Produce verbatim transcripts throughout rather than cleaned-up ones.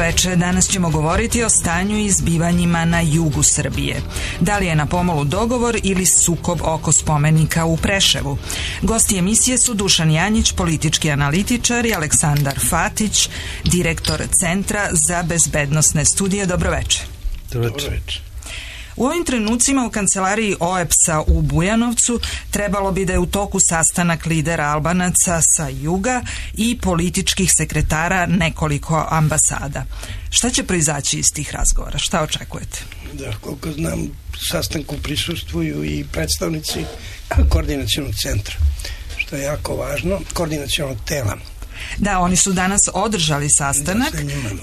veče, danas ćemo govoriti o stanju i zbivanjima na jugu Srbije. Da li je na pomolu dogovor ili sukob oko spomenika u Preševu? Gosti emisije su Dušan Janjić, politički analitičar, i Aleksandar Fatić, direktor Centra za bezbednosne studije. Dobro veče. Dobro veče. U ovim trenucima u kancelariji O E P S-a u Bujanovcu trebalo bi da je u toku sastanak lidera Albanaca sa juga i političkih sekretara nekoliko ambasada. Šta će proizaći iz tih razgovora? Šta očekujete? Da, koliko znam, sastanku prisustvuju i predstavnici koordinacionog centra, što je jako važno, koordinacionog tela. Da, oni su danas održali sastanak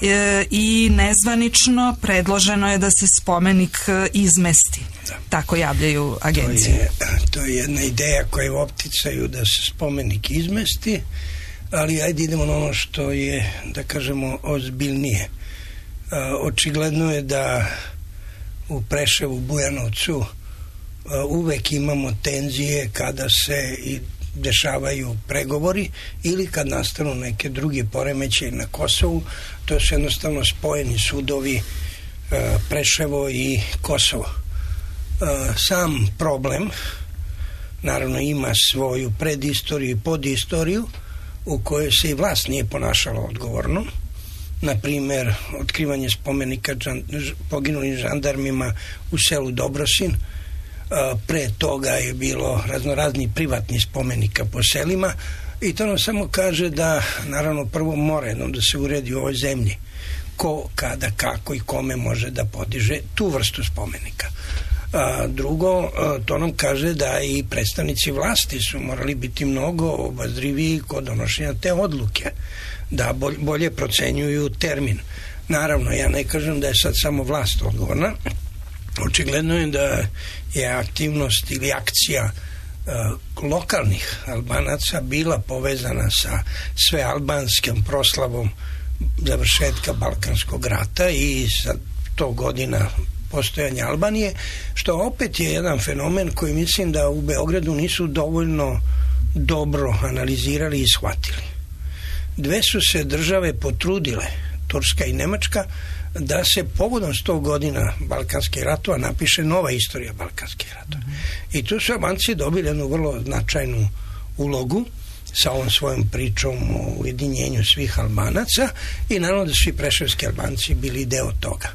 e, i nezvanično predloženo je da se spomenik izmesti. Da. Tako javljaju agencije. To je, to je jedna ideja koja je u opticaju da se spomenik izmesti, ali ajde idemo na ono što je, da kažemo, ozbiljnije. A, očigledno je da u Preševu, Bujanovcu a, uvek imamo tenzije kada se i dešavaju pregovori ili kad nastanu neke druge poremećaje na Kosovu. To su jednostavno spojeni sudovi e, Preševo i Kosovo. E, sam problem naravno ima svoju predistoriju i podistoriju u kojoj se i vlast nije ponašala odgovorno. Na primjer, otkrivanje spomenika žan, poginulim žandarmima u selu Dobrosin. Pre toga je bilo raznorazni privatni spomenika po selima i to nam samo kaže da naravno prvo mora jednom da se uredi u ovoj zemlji ko, kada, kako i kome može da podiže tu vrstu spomenika. A, drugo, to nam kaže da i predstavnici vlasti su morali biti mnogo obazriviji kod donošenja te odluke, da bolje procenjuju termin. Naravno, ja ne kažem da je sad samo vlast odgovorna. Očigledno je da je aktivnost ili akcija uh, lokalnih Albanaca bila povezana sa svealbanskom proslavom završetka Balkanskog rata i sa to godina postojanja Albanije, što opet je jedan fenomen koji mislim da u Beogradu nisu dovoljno dobro analizirali i shvatili. Dve su se države potrudile, Turska i Nemačka, da se povodom sto godina Balkanskih ratova napiše nova istorija Balkanskih ratova. Mm-hmm. I tu su Albanci dobili jednu vrlo značajnu ulogu sa ovom svojom pričom o ujedinjenju svih Albanaca i naravno da su i preševski Albanci bili deo toga.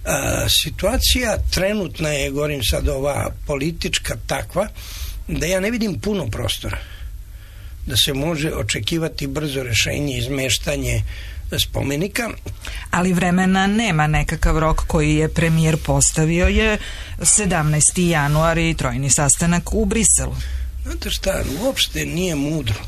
A, situacija trenutna je, govorim sad, ova politička takva, da ja ne vidim puno prostora da se može očekivati brzo rešenje, izmeštanje spomenika. Ali vremena nema, nekakav rok koji je premijer postavio je sedamnaesti januar i trojni sastanak u Briselu. Znate šta, uopšte nije mudro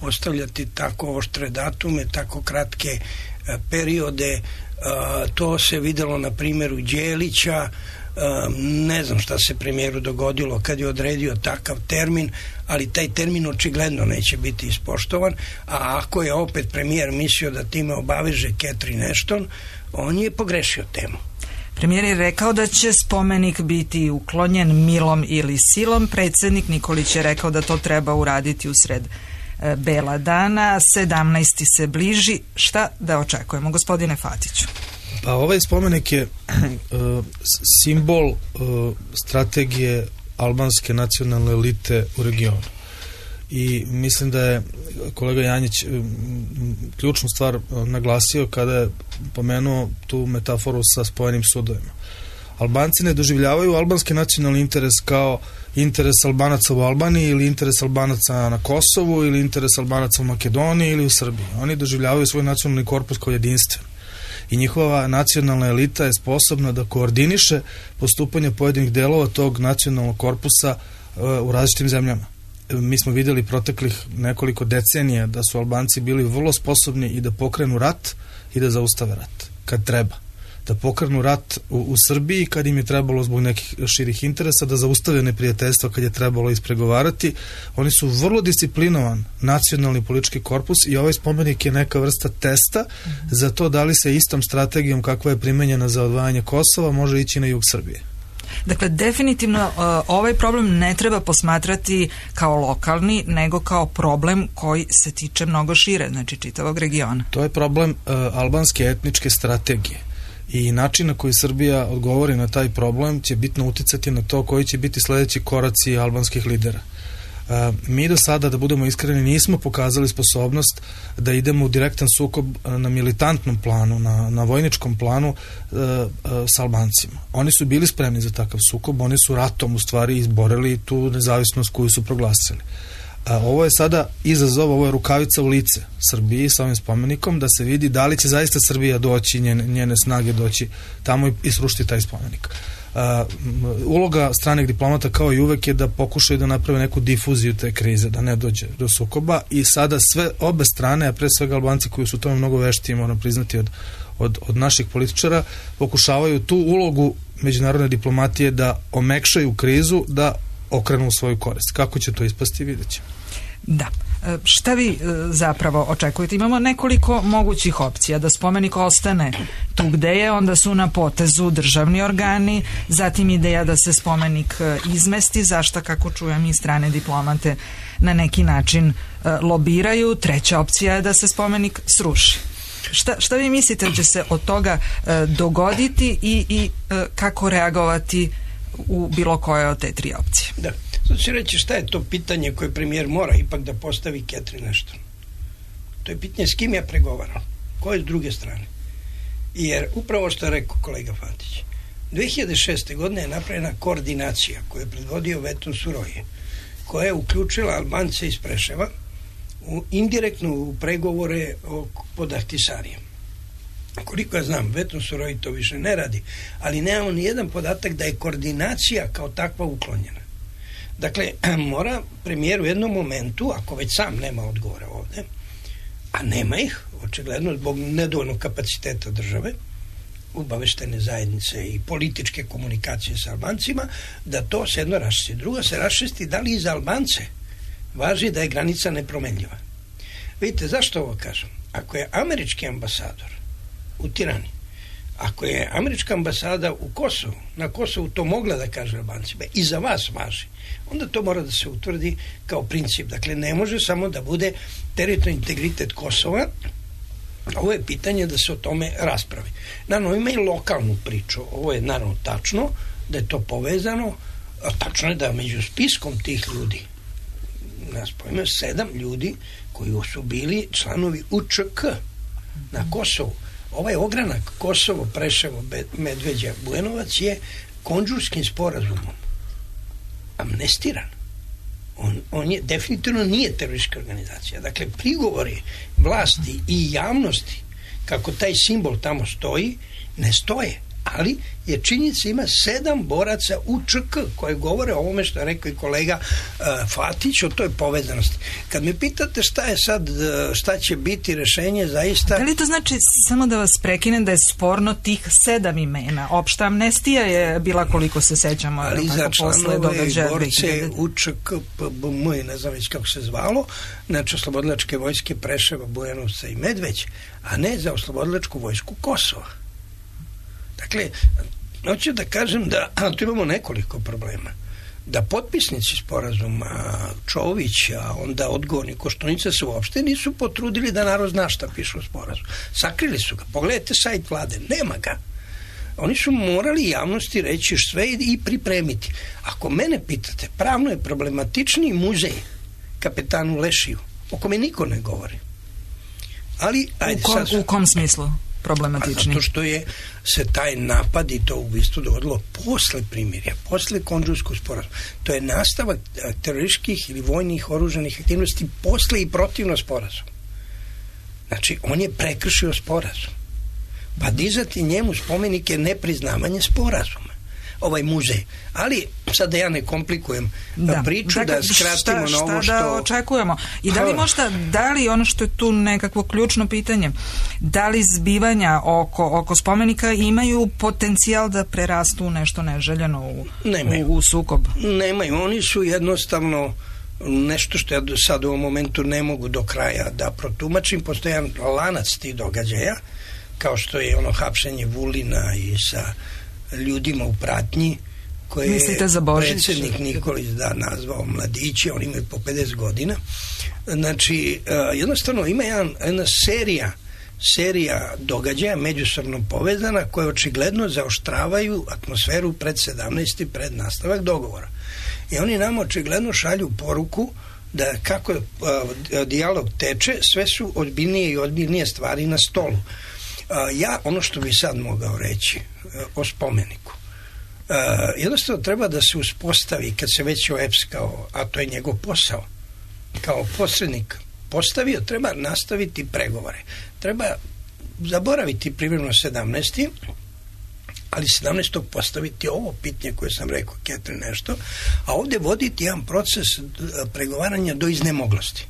postavljati tako oštre datume, tako kratke a, periode. A, to se videlo na primjeru Đelića. Uh, ne znam šta se premijeru dogodilo kad je odredio takav termin, ali taj termin očigledno neće biti ispoštovan, a ako je opet premijer mislio da time obaveže Catherine Ashton, on je pogrešio temu. Premijer je rekao da će spomenik biti uklonjen milom ili silom. Predsjednik Nikolić je rekao da to treba uraditi usred e, bela dana. sedamnaesti se bliži. Šta da očekujemo, gospodine Fatiću? Pa ovaj spomenik je uh, simbol uh, strategije albanske nacionalne elite u regionu. I mislim da je kolega Janjić um, ključnu stvar uh, naglasio kada je pomenuo tu metaforu sa spojenim sudovima. Albanci ne doživljavaju albanski nacionalni interes kao interes Albanaca u Albaniji ili interes Albanaca na Kosovu ili interes Albanaca u Makedoniji ili u Srbiji. Oni doživljavaju svoj nacionalni korpus kao jedinstven. I njihova nacionalna elita je sposobna da koordiniše postupanje pojedinih delova tog nacionalnog korpusa uh, u različitim zemljama. Mi smo vidjeli proteklih nekoliko decenija da su Albanci bili vrlo sposobni i da pokrenu rat i da zaustave rat, kad treba. Da pokrenu rat u, u Srbiji kad im je trebalo zbog nekih širih interesa, da zaustave neprijateljstva kad je trebalo ispregovarati. Oni su vrlo disciplinovan nacionalni politički korpus i ovaj spomenik je neka vrsta testa mm-hmm. za to da li se istom strategijom kakva je primenjena za odvajanje Kosova može ići na jug Srbije. Dakle, definitivno ovaj problem ne treba posmatrati kao lokalni, nego kao problem koji se tiče mnogo šire, znači čitavog regiona. To je problem uh, albanske etničke strategije i način na koji Srbija odgovori na taj problem će bitno uticati na to koji će biti sledeći koraci albanskih lidera. Uh, mi do sada, da budemo iskreni, nismo pokazali sposobnost da idemo u direktan sukob na militantnom planu, na, na vojničkom planu uh, uh, s Albancima. Oni su bili spremni za takav sukob, oni su ratom u stvari izborili tu nezavisnost koju su proglasili. Uh, ovo je sada izazov, ovo je rukavica u lice Srbiji sa ovim spomenikom, da se vidi da li će zaista Srbija doći, njene, njene snage doći tamo i, i srušiti taj spomenik. Uh, uloga stranih diplomata kao i uvek je da pokušaju da naprave neku difuziju te krize, da ne dođe do sukoba i sada sve obe strane, a pre svega Albanci koji su tome mnogo veštiji, moram priznati, od, od, od naših političara, pokušavaju tu ulogu međunarodne diplomatije da omekšaju krizu, da okrenu u svoju korist. Kako će to ispasti, vidjet ćemo. Da. Šta vi zapravo očekujete? Imamo nekoliko mogućih opcija. Da spomenik ostane tu gde je, onda su na potezu državni organi, zatim ideja da se spomenik izmesti, zašta, kako čujem, i strane diplomate na neki način lobiraju. Treća opcija je da se spomenik sruši. Šta, šta vi mislite da će se od toga dogoditi i, i kako reagovati u bilo koje od te tri opcije? Da. Sad ću reći šta je to pitanje koje premijer mora ipak da postavi Catherine Ashton. To je pitanje s kim ja pregovaram, ko je s druge strane. Jer upravo što je rekao kolega Fatić, dve hiljade šeste. godine je napravljena koordinacija koju je predvodio Veton Suroje, koja je uključila Albance iz Preševa u, indirektno u pregovore o, pod Ahtisarijem. Koliko ja znam, Veton Suroje to više ne radi, ali nemamo ni jedan podatak da je koordinacija kao takva uklonjena. Dakle, mora premijer u jednom momentu, ako već sam nema odgovora ovde, a nema ih, očigledno zbog nedovoljnog kapaciteta države, obaveštene zajednice i političke komunikacije sa Albancima, da to se jedno raščisti. Drugo se raščisti da li i za Albance važi da je granica nepromenljiva. Vidite, zašto ovo kažem? Ako je američki ambasador u Tirani, ako je američka ambasada u Kosovu, na Kosovu to mogla da kaže Albancima i za vas važi, onda to mora da se utvrdi kao princip. Dakle, ne može samo da bude teritorijalni integritet Kosova. Ovo je pitanje da se o tome raspravi. Naravno, ima i lokalnu priču. Ovo je naravno tačno, da je to povezano, a tačno je da među spiskom tih ljudi, nas pojme, sedam ljudi koji su bili članovi U Č K na Kosovu. Ovaj ogranak Kosovo, Preševo, Medveđa, Bujanovac je konđurskim sporazumom amnestiran. On, on je definitivno nije teroristička organizacija. Dakle, prigovori vlasti i javnosti kako taj simbol tamo stoji, ne stoje. Ali je činjenica, ima sedam boraca U Č K koji govore o ovome što je rekao i kolega uh, Fatić, o toj povezanosti. Kad me pitate šta je sad, šta će biti rešenje, zaista... Da li to znači, samo da vas prekinem, da je sporno tih sedam imena? Opšta amnestija je bila, koliko se sećamo, ali za članove i borce U Č K, P B M, ne znam već kako se zvalo, znači oslobodilačke vojske Preševa, Bujanovca i Medveđa, a ne za oslobodilačku vojsku Kosova. Dakle, hoću da kažem da tu imamo nekoliko problema. Da potpisnici sporazuma Čović, a onda odgovorni Koštunica se uopšte nisu potrudili da narod zna šta piše u sporazumu. Sakrili su ga. Pogledajte sajt vlade, nema ga. Oni su morali javnosti reći sve i pripremiti. Ako mene pitate, pravno je problematičniji muzej kapetanu Lešiju, o kome niko ne govori. Ali, ajde, u, kom, sad... u kom smislu problematičniji? Zato što je se taj napad i to ubistvo dogodilo posle primirja, posle konđurskog sporazuma. To je nastavak terorističkih ili vojnih oružanih aktivnosti posle i protivno sporazum. Znači, on je prekršio sporazum. Pa dizati njemu spomenike nepriznavanje sporazuma. Ovaj muzej. Ali, sad da ja ne komplikujem da. priču, dakle, da skratimo šta, na ovo što... Šta da očekujemo? I da li možda, da li ono što je tu nekakvo ključno pitanje, da li zbivanja oko, oko spomenika imaju potencijal da prerastu nešto neželjeno u, u, u sukob? Nemaju. Oni su jednostavno nešto što ja sad u ovom momentu ne mogu do kraja da protumačim. Postoji jedan lanac tih događaja, kao što je ono hapšenje Vulina i sa ljudima u pratnji koje Mislite za Božić? Predsjednik Nikolić da nazvao mladiće, oni imaju po pedeset godina. Znači, jednostavno ima jedan, jedna serija serija događaja međusobno povezana koje očigledno zaoštravaju atmosferu pred sedamnaesti pred nastavak dogovora. I oni nam očigledno šalju poruku da kako uh, dijalog teče, sve su ozbiljnije i ozbiljnije stvari na stolu. Uh, ja, ono što bi sad mogao reći uh, o spomeniku, uh, jednostavno treba da se uspostavi, kad se već O E P S kao, a to je njegov posao, kao posrednik postavio, treba nastaviti pregovore. Treba zaboraviti privremeno sedamnaesti ali sedamnaestog postaviti ovo pitanje koje sam rekao, Ketrin nešto, a ovdje voditi jedan proces pregovaranja do iznemoglosti.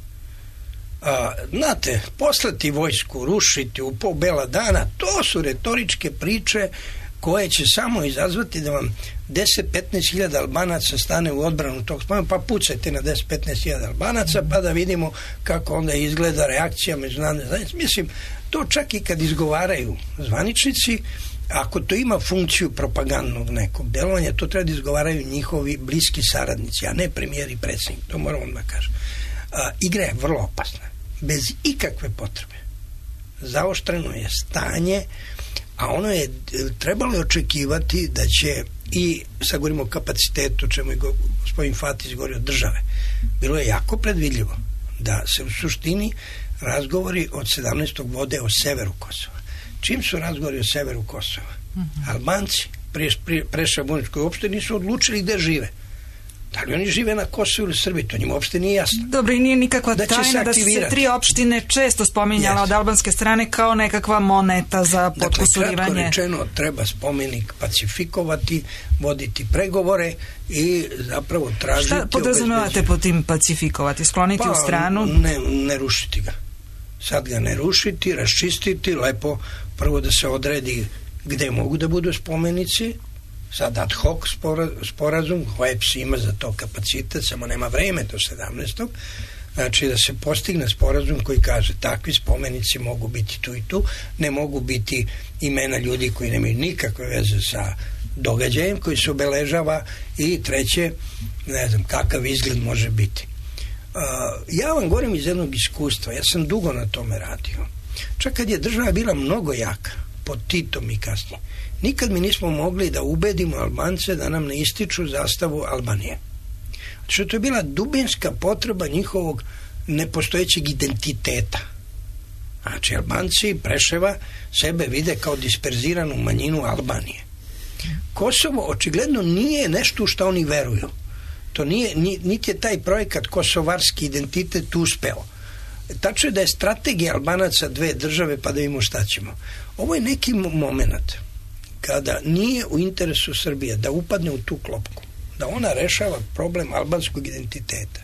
A, znate, poslati vojsku, rušiti u pol bela dana, to su retoričke priče koje će samo izazvati da vam deset do petnaest hiljada Albanaca stane u odbranu tog spomena, pa pucajte na deset do petnaest hiljada Albanaca, pa da vidimo kako onda izgleda reakcija međunarodne zajednice. Mislim, to čak i kad izgovaraju zvaničnici, ako to ima funkciju propagandnog nekog delovanja, to treba da izgovaraju njihovi bliski saradnici, a ne premijer i predsjednik, to moram vam da kažem. A, igra je vrlo opasna, bez ikakve potrebe. Zaoštreno je stanje, a ono je trebalo očekivati da će, i sad govorimo o kapacitetu, čemu je gospodin Fatić govorio, države. Bilo je jako predvidljivo da se u suštini razgovori od sedamnaestog vode o severu Kosova. Čim su razgovori o severu Kosova? Mm-hmm. Albanci Preševo-Buničkoj uopšte nisu odlučili gde žive. Da li oni žive na Kosovu ili Srbiji? To njima uopšte nije jasno. Dobro, i nije nikakva da tajna da su se tri opštine često spominjala yes. od albanske strane kao nekakva moneta za potkusurivanje. Dakle, kratko rečeno, treba spomenik pacifikovati, voditi pregovore i zapravo tražiti... Šta podrazumevate po tim pacifikovati? Skloniti pa, u stranu? Ne, ne rušiti ga. Sad ga ne rušiti, raščistiti, lepo prvo da se odredi gde mogu da budu spomenici, sad ad hoc sporazum, O E P S ima za to kapacitet, samo nema vreme do sedamnaestog Znači da se postigne sporazum koji kaže takvi spomenici mogu biti tu i tu, ne mogu biti imena ljudi koji nemaju nikakve veze sa događajem koji se obeležava, i treće, ne znam kakav izgled može biti. Uh, ja vam govorim iz jednog iskustva, ja sam dugo na tome radio. Čak kad je država bila mnogo jaka, pod Titom i kasnije, nikad mi nismo mogli da ubedimo Albance da nam ne ističu zastavu Albanije. Što to je bila dubinska potreba njihovog nepostojećeg identiteta. Znači, Albanci Preševa sebe vide kao disperziranu manjinu Albanije. Kosovo očigledno nije nešto u što oni veruju. To nije, niti je taj projekat kosovarski identitet uspeo. Tačno je da je strategija Albanaca dve države, pa da vidimo šta ćemo. Ovo je neki moment kada nije u interesu Srbije da upadne u tu klopku, da ona rešava problem albanskog identiteta.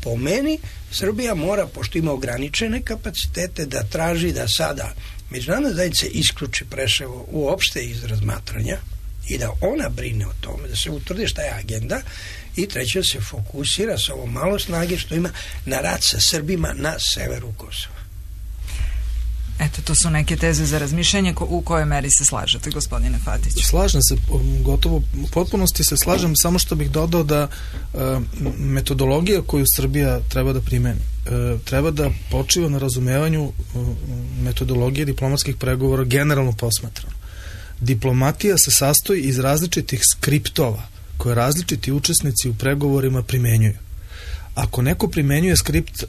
Po meni, Srbija mora, pošto ima ograničene kapacitete, da traži da sada međunarodna zajednica isključi Preševo uopšte iz razmatranja i da ona brine o tome, da se utvrdi šta je agenda, i treće da se fokusira sa ovo malo snage što ima na rad sa Srbima na severu Kosova. Eto, to su neke teze za razmišljanje. U kojoj meri se slažete, gospodine Fatić? Slažem se, gotovo u potpunosti se slažem, samo što bih dodao da e, metodologija koju Srbija treba da primeni e, treba da počiva na razumevanju e, metodologije diplomatskih pregovora generalno posmatrano. Diplomatija se sastoji iz različitih skriptova koje različiti učesnici u pregovorima primenjuju. Ako neko primenjuje skript e,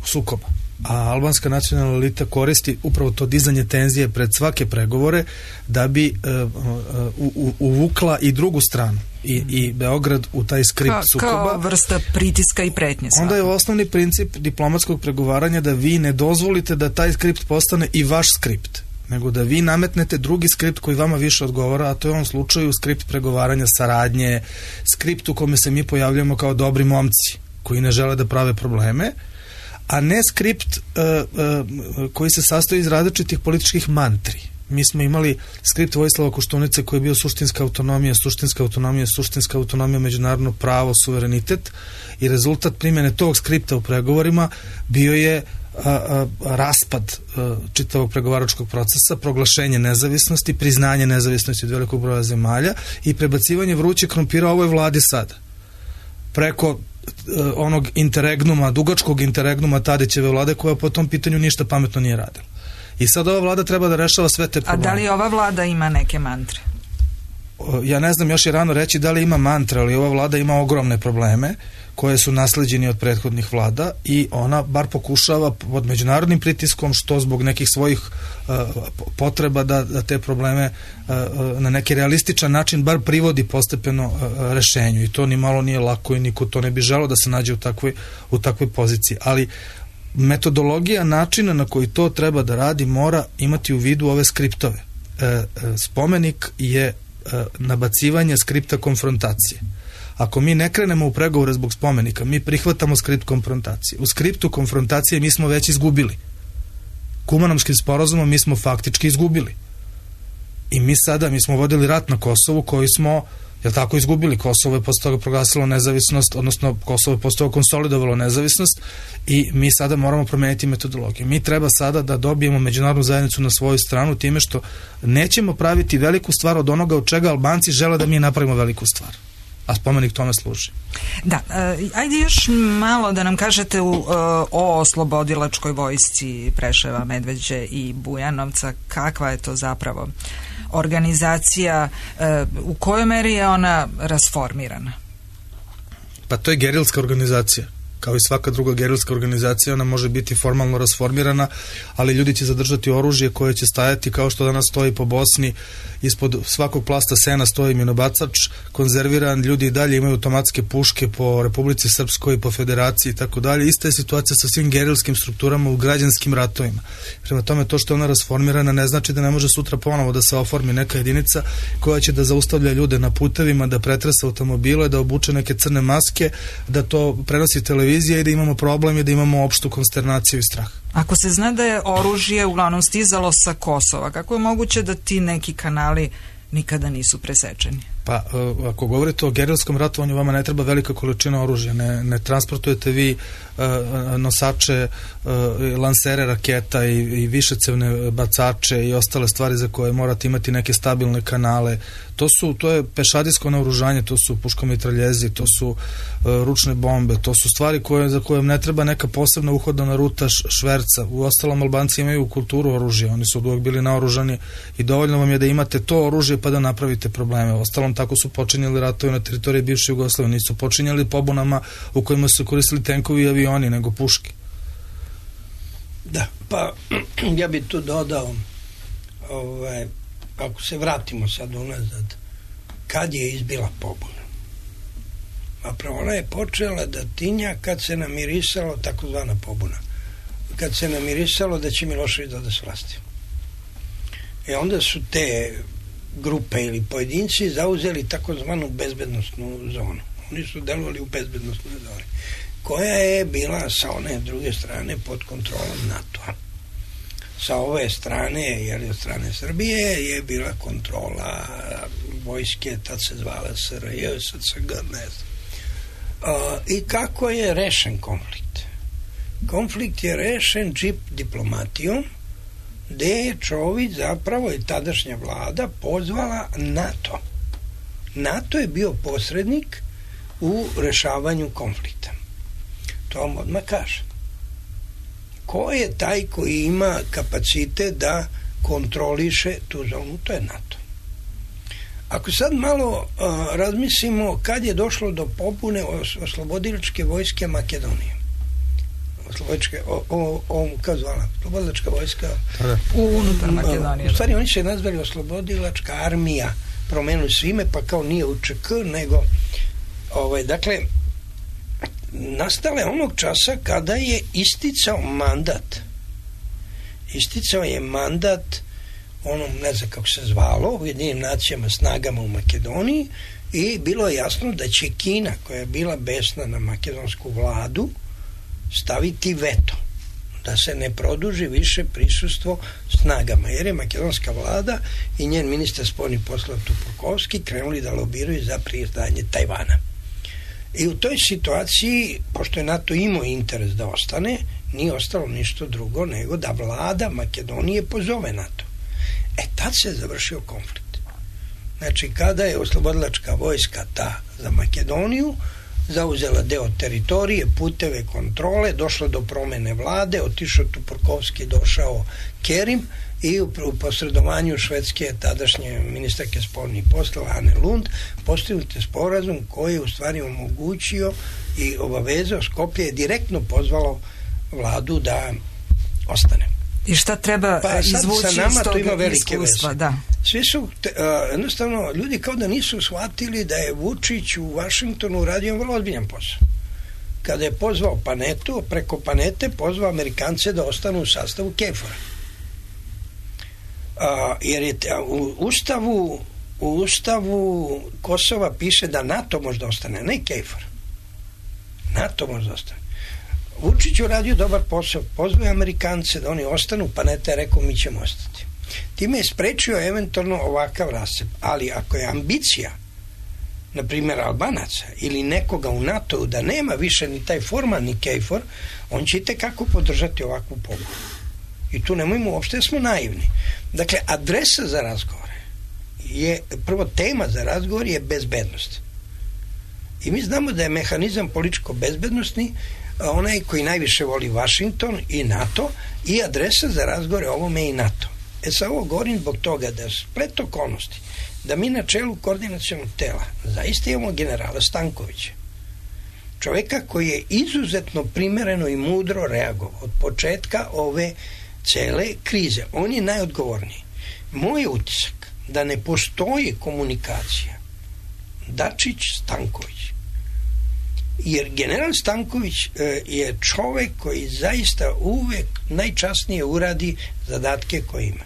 sukoba, a albanska nacionalna elita koristi upravo to dizanje tenzije pred svake pregovore da bi e, u, u, uvukla i drugu stranu i, i Beograd u taj skript Ka, sukoba. Kao vrsta pritiska i pretnje. Svakako. Onda je osnovni princip diplomatskog pregovaranja da vi ne dozvolite da taj skript postane i vaš skript, nego da vi nametnete drugi skript koji vama više odgovara, a to je u ovom slučaju skript pregovaranja, saradnje, skript u kome se mi pojavljamo kao dobri momci koji ne žele da prave probleme, a ne skript uh, uh, koji se sastoji iz različitih političkih mantri. Mi smo imali skript Vojislava Koštunice koji je bio suštinska autonomija, suštinska autonomija, suštinska autonomija, međunarodno pravo, suverenitet, i rezultat primjene tog skripta u pregovorima bio je a, a, raspad a, čitavog pregovaračkog procesa, proglašenje nezavisnosti, priznanje nezavisnosti od velikog broja zemalja i prebacivanje vrućeg krompira ovoj vladi sada. Preko a, onog interregnuma, dugačkog interregnuma Tadićeve vlade koja po tom pitanju ništa pametno nije radila. I sad ova vlada treba da rešava sve te probleme. A da li ova vlada ima neke mantre? Ja ne znam, još je rano reći da li ima mantra, ali ova vlada ima ogromne probleme koje su nasleđeni od prethodnih vlada i ona bar pokušava pod međunarodnim pritiskom, što zbog nekih svojih uh, potreba da, da te probleme uh, na neki realističan način bar privodi postepeno uh, rešenju i to ni malo nije lako i niko to ne bi želeo da se nađe u takvoj, u takvoj poziciji, ali metodologija načina na koji to treba da radi mora imati u vidu ove skriptove. E, spomenik je e, nabacivanje skripta konfrontacije. Ako mi ne krenemo u pregovore zbog spomenika, mi prihvatamo skript konfrontacije. U skriptu konfrontacije mi smo već izgubili. Kumanomskim sporazumom mi smo faktički izgubili. I mi sada, mi smo vodili rat na Kosovu koji smo, jel tako, izgubili. Kosovo je posle toga proglasilo nezavisnost, odnosno Kosovo je posle toga konsolidovalo nezavisnost i mi sada moramo promeniti metodologiju. Mi treba sada da dobijemo međunarodnu zajednicu na svoju stranu time što nećemo praviti veliku stvar od onoga od čega Albanci žele da mi napravimo veliku stvar. A spomenik tome služi. Da, ajde još malo da nam kažete u, o oslobodilačkoj vojsci Preševa, Medveđe i Bujanovca. Kakva je to zapravo organizacija, u kojoj meri je ona rasformirana? Pa to je gerilska organizacija. Kao i svaka druga gerilska organizacija, ona može biti formalno rasformirana, ali ljudi će zadržati oružje koje će stajati kao što danas stoji po Bosni, ispod svakog plasta sena stoji minobacač, konzerviran, ljudi i dalje imaju automatske puške po Republici Srpskoj, po Federaciji i tako dalje. Ista je situacija sa svim gerilskim strukturama u građanskim ratovima. Prema tome, to što je ona rasformirana ne znači da ne može sutra ponovo da se oformi neka jedinica koja će da zaustavlja ljude na putevima, da pretresa automobile, da obuče neke crne maske, da to prenosi televizija i da imamo problem i da imamo opštu konsternaciju i strah. Ako se zna da je oružje uglavnom stizalo sa Kosova, kako je moguće da ti neki kanali nikada nisu presečeni? Pa, ako govorite o gerilskom ratovanju, vama ne treba velika količina oružja. Ne, ne transportujete vi uh, nosače, uh, lansere raketa i, i višecevne bacače i ostale stvari za koje morate imati neke stabilne kanale. To su, to je pešadijsko naoružanje, to su puškomitraljezi, to su uh, ručne bombe, to su stvari koje, za koje ne treba neka posebna uhodana ruta šverca. U ostalom, Albanci imaju kulturu oružja, oni su uvijek bili naoružani i dovoljno vam je da imate to oružje pa da napravite probleme. U ostalom, tako su počinjali ratovi na teritoriji bivše Jugoslavije, nisu počinjali pobunama u kojima su koristili tenkovi i avioni, nego puške. Da, pa ja bih tu dodao, ovaj, ako se vratimo sad unazad, kad je izbila pobuna? Zapravo ona je počela da tinja kad se namirisalo, takozvana pobuna, kad se namirisalo da će Milošević da s vlasti. E onda su te grupe ili pojedinci zauzeli takozvanu bezbednosnu zonu. Oni su delovali u bezbednosnoj zoni, koja je bila sa one druge strane pod kontrolom NATO-a. Sa ove strane, jer od strane Srbije, je bila kontrola vojske, tad se zvala S R J, S C G, ne znam. Uh, I kako je rešen konflikt? Konflikt je rešen džip diplomatijom, gde je Čović zapravo i tadašnja vlada pozvala NATO. NATO je bio posrednik u rešavanju konflikta. To vam odmah kaže. Ko je taj koji ima kapacitet da kontroliše tu zonu? To je NATO. Ako sad malo uh, razmislimo kad je došlo do pobune os- oslobodilačke vojske Makedonije. Oslobodilačke, o, o, o, kako zvala? Oslobodilačka vojska unutar Makedonije. U stvari oni se nazvali Oslobodilačka armija, promenuli su ime, pa kao nije U Č K, nego ovaj, dakle nastale onog časa kada je isticao mandat isticao je mandat onom, ne znam kako se zvalo, Ujedinjenim nacijama, snagama u Makedoniji, i bilo je jasno da će Kina, koja je bila besna na makedonsku vladu, staviti veto da se ne produži više prisustvo snagama, jer je makedonska vlada i njen ministar spoljnih poslova Tupurkovski krenuli da lobiraju za priznanje Tajvana. I u toj situaciji, pošto je NATO imao interes da ostane, nije ostalo ništa drugo nego da vlada Makedonije pozove NATO. E, tad se završio konflikt. Znači, kada je oslobodilačka vojska ta za Makedoniju zauzela deo teritorije, puteve kontrole, došlo do promene vlade, otišao Tupurkovski, došao Kerim i u, u posredovanju švedske tadašnje ministarke spoljnih poslova Ane Lund postignut je sporazum koji je u stvari omogućio i obavezao, Skopje je direktno pozvalo vladu da ostane. I šta treba pa izvući sa nama iz to ima tog velike iskustva? veze. Da. Svi su, te, uh, jednostavno, ljudi kao da nisu shvatili da je Vučić u Vašingtonu uradio vrlo ozbiljan posao. Kada je pozvao Panetu, preko Panete pozvao Amerikance da ostanu u sastavu KFOR-a. Uh, jer je te, u ustavu u ustavu Kosova piše da NATO može da ostane, ne KFOR. NATO može da ostane. Vučić je uradio dobar posao, pozvao Amerikance da oni ostanu, Paneta je rekao mi ćemo ostati. Time je sprečio eventualno ovakav rascep, ali ako je ambicija na primjer Albanaca ili nekoga u NATO-u da nema više ni taj formalni KFOR, on će itekako podržati ovakvu pobudu. I tu nemojmo, uopšte smo naivni. Dakle, adresa za razgovore je, prvo tema za razgovor je bezbednost. I mi znamo da je mehanizam političko-bezbednostni onaj koji najviše voli Vašington i NATO i adresa za razgovore ovome je i NATO. E sad ovo govorim zbog toga da splet okolnosti da mi na čelu koordinacionog tela zaista imamo generala Stankovića, čovjeka koji je izuzetno primereno i mudro reagovao od početka ove cele krize. On je najodgovorniji. Moj je utisak da ne postoji komunikacija Dačić-Stanković. Jer general Stanković e, je čovjek koji zaista uvek najčasnije uradi zadatke koje ima.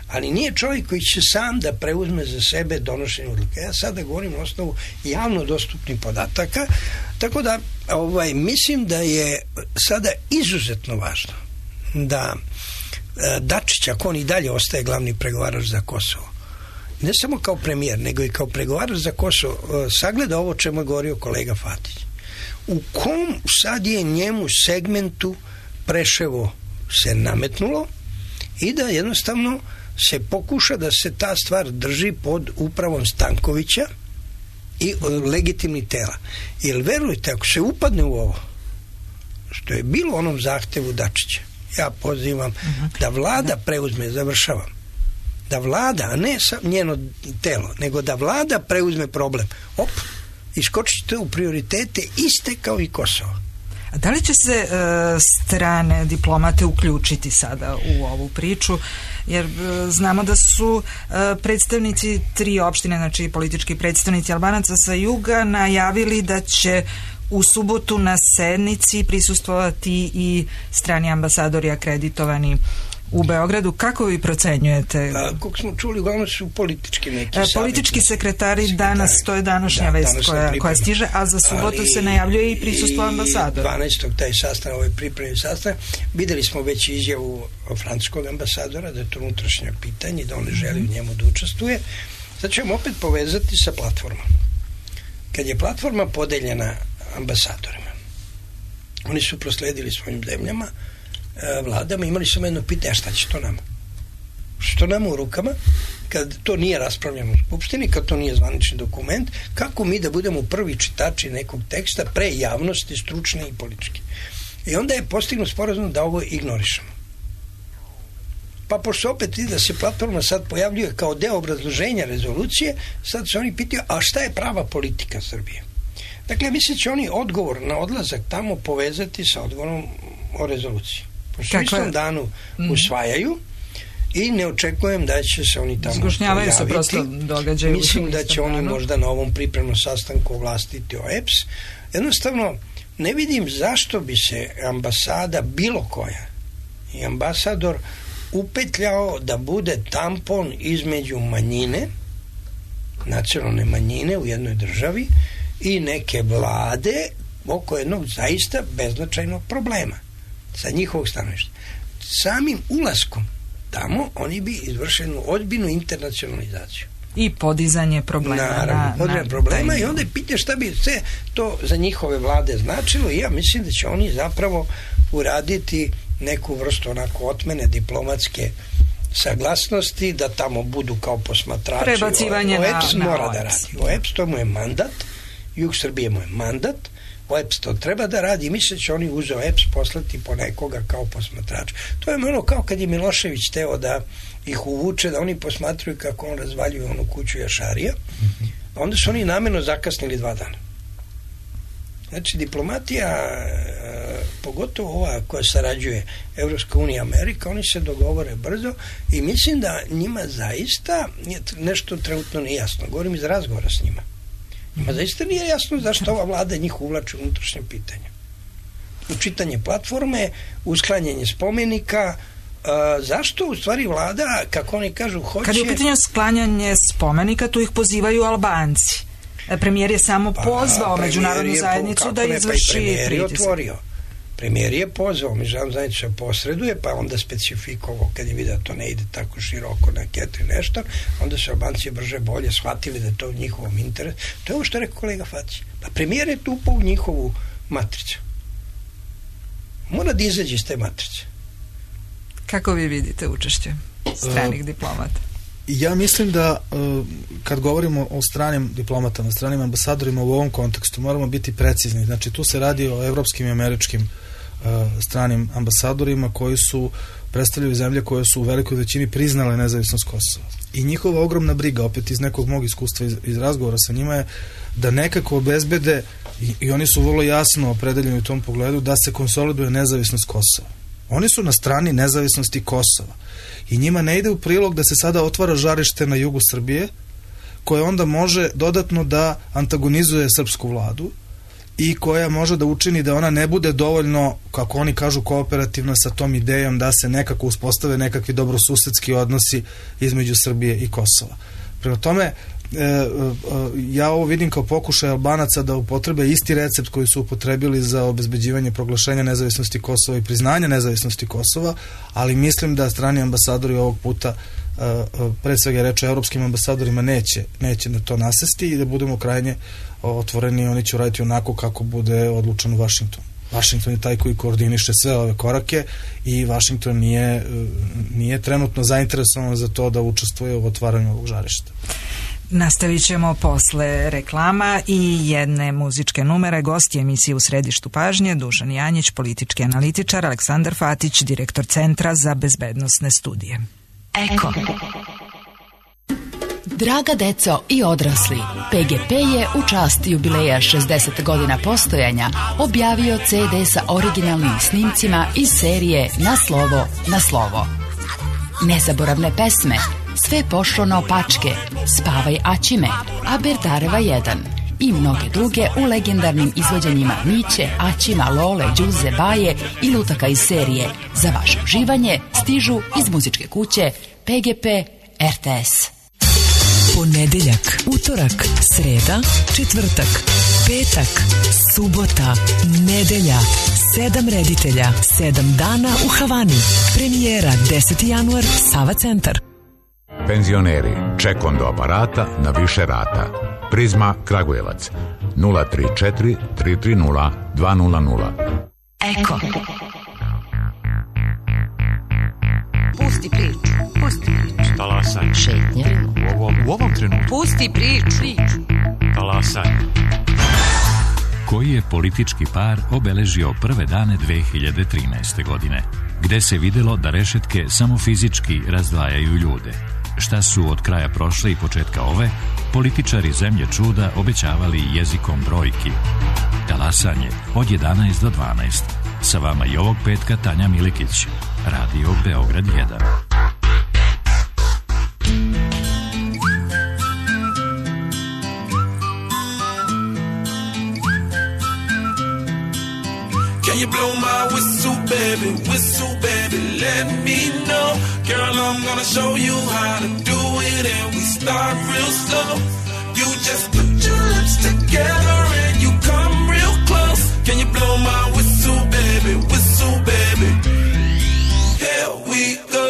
Ali nije čovjek koji će sam da preuzme za sebe donošenje odluke. Ja sada govorim na osnovu javno dostupnih podataka, tako da ovaj, mislim da je sada izuzetno važno da e, Dačić, ako on i dalje ostaje glavni pregovarač za Kosovo, ne samo kao premijer, nego i kao pregovarač za Kosovo, sagleda ovo čemu je govorio kolega Fatić. U kom sad je njemu segmentu Preševo se nametnulo i da jednostavno se pokuša da se ta stvar drži pod upravom Stankovića i legitimnih tela. Jer verujte, ako se upadne u ovo, što je bilo u onom zahtevu Dačića, ja pozivam uh-huh. da vlada preuzme, završavam, da vlada, a ne njeno telo, nego da vlada preuzme problem. Op, iskočite u prioritete iste kao i Kosovo. A da li će se e, strane diplomate uključiti sada u ovu priču? Jer e, znamo da su e, predstavnici tri opštine, znači politički predstavnici Albanaca sa juga, najavili da će u subotu na sednici prisustvovati i strani ambasadori akreditovani u Beogradu. Kako vi procenjujete? A, kako smo čuli, uglavnom su politički neki e, politički sekretari, sekretari danas, to je današnja da, vest koja, koja stiže, a za subotu ali se najavljuje i prisustvo ambasadora. dvanaestog taj sastanak, ovaj pripremni sastanak, videli smo već izjavu francuskog ambasadora da je to unutrašnje pitanje, da on ne želi u njemu da učestvuje. Sad ćemo opet povezati sa platformom. Kad je platforma podeljena ambasadorima, oni su prosledili svojim zemljama, vladama, imali smo jedno pitanje, šta će to nama? Što nama u rukama, kad to nije raspravljeno u Skupštini, kad to nije zvanični dokument, kako mi da budemo prvi čitači nekog teksta pre javnosti, stručne i političke. I onda je postignut sporazum da ovo ignorišemo. Pa pošto opet da se platforma sad pojavljuje kao deo obrazloženja rezolucije, sad se oni pitaju, a šta je prava politika Srbije? Dakle, mislim će oni odgovor na odlazak tamo povezati sa odgovorom o rezoluciji. U istom danu usvajaju i ne očekujem da će se oni tamo zgušnjavaju se prosto događaju. Mislim da će oni možda na ovom pripremnom sastanku ovlastiti O E P S. Jednostavno ne vidim zašto bi se ambasada bilo koja i ambasador upetljao da bude tampon između manjine, nacionalne manjine u jednoj državi i neke vlade oko jednog zaista beznačajnog problema sa njihovog stanovišta. Samim ulaskom tamo oni bi izvršenu ozbiljnu internacionalizaciju. i podizanje problema. Naravno, podizanje na, problema taj... i onda je pitanje šta bi sve to za njihove vlade značilo i ja mislim da će oni zapravo uraditi neku vrstu onako otmene diplomatske saglasnosti, da tamo budu kao posmatrači. Prebacivanje o, o E P S na, mora na da radi. O E P S to mu je mandat, Jug Srbije mu je mandat, O E P S to treba da radi i misle će oni uzeo E P S poslati po nekoga kao posmatrač. To je ono kao kad je Milošević teo da ih uvuče, da oni posmatruju kako on razvaljuje onu kuću Jašarija. Mm-hmm. Onda su oni namjerno zakasnili dva dana. Znači, diplomatija, pogotovo ova koja sarađuje Evropska unija, Amerika, oni se dogovore brzo i mislim da njima zaista nešto trenutno nije jasno. Govorim iz razgovora s njima. Njima zaista nije jasno zašto ova vlada njih uvlači u unutrašnje pitanje. Učitanje platforme, usklanjanje spomenika, Uh, zašto u stvari vlada, kako oni kažu, hoće... Kad je u pitanju sklanjanje spomenika, tu ih pozivaju Albanci. Premijer je samo pozvao pa, međunarodnu zajednicu da izvrši pa premijer je pritisak. Otvorio. Premijer je pozvao, međunarodnu zajednicu se posreduje, pa onda specifikovao kad je vidio da to ne ide tako široko na ketri nešto, onda su Albanci brže bolje shvatili da je to u njihovom interesu. To je ovo što je rekao kolega Faci. Pa premijer je tupao u njihovu matricu. Mora da izađe iz te matrice. Kako vi vidite učešće stranih uh, diplomata? Ja mislim da uh, kad govorimo o stranim diplomatama, stranim ambasadorima u ovom kontekstu moramo biti precizni. Znači tu se radi o evropskim i američkim uh, stranim ambasadorima koji su predstavljaju zemlje koje su u velikoj većini priznale nezavisnost Kosova. I njihova ogromna briga, opet iz nekog mog iskustva iz, iz razgovora sa njima je da nekako obezbede i, i oni su vrlo jasno opredeljeni u tom pogledu da se konsoliduje nezavisnost Kosova. Oni su na strani nezavisnosti Kosova i njima ne ide u prilog da se sada otvara žarište na jugu Srbije koje onda može dodatno da antagonizuje srpsku vladu i koja može da učini da ona ne bude dovoljno, kako oni kažu, kooperativna sa tom idejom da se nekako uspostave nekakvi dobrosusedski odnosi između Srbije i Kosova. Prema tome, E, e, ja ovo vidim kao pokušaj Albanaca da upotrebe isti recept koji su upotrebili za obezbeđivanje proglašenja nezavisnosti Kosova i priznanja nezavisnosti Kosova, ali mislim da strani ambasadori ovog puta e, e, pre svega reče evropskim ambasadorima neće, neće na to nasesti i da budemo krajnje otvoreni, oni će raditi onako kako bude odlučeno u Vašingtonu. Vašington je taj koji koordiniše sve ove korake i Vašington nije, nije trenutno zainteresovan za to da učestvuje u otvaranju ovog žarišta. Nastavit ćemo posle reklama i jedne muzičke numere. Gosti emisije U središtu pažnje Dušan Janjić, politički analitičar, Aleksandar Fatić, direktor Centra za bezbednosne studije. Eko. Draga deco i odrasli, P G P je u čast jubileja šezdeset godina postojanja objavio ce de sa originalnim snimcima iz serije Na slovo, na slovo. Nezaboravne pesme Sve pošlo naopačke, Spavaj Aćime, Aberdareva jedan i mnoge druge u legendarnim izvođenjima Miće, Aćima, Lole, Đuze, Baje i lutaka iz serije. Za vaše uživanje stižu iz muzičke kuće P G P R T S. Ponedeljak, utorak, sreda, četvrtak, petak, subota, nedelja, sedam reditelja, sedam dana u Havani. Premijera deseti januar, Sava centar. Penzioneri, ček do aparata na više rata. Prizma Kragujevac nula tri četiri tri tri nula dva nula nula. Eko. Pusti priču, pusti priču. Talasaj. Šetnja. U ovom, u ovom trenutku. Pusti priču. priču. Talasaj. Koji je politički par obeležio prve dane dve hiljade trinaeste. godine, gde se videlo da rešetke samo fizički razdvajaju ljude. Šta su od kraja prošle i početka ove, političari zemlje čuda obećavali jezikom brojki. Talasanje od jedanaest do dvanaest. Sa vama i ovog petka Tanja Milikić, Radio Beograd jedan. Can you blow my whistle, baby, whistle, baby, let me know. Girl, I'm gonna show you how to do it, and we start real slow. You just put your lips together and you come real close. Can you blow my whistle, baby, whistle, baby? Here we go.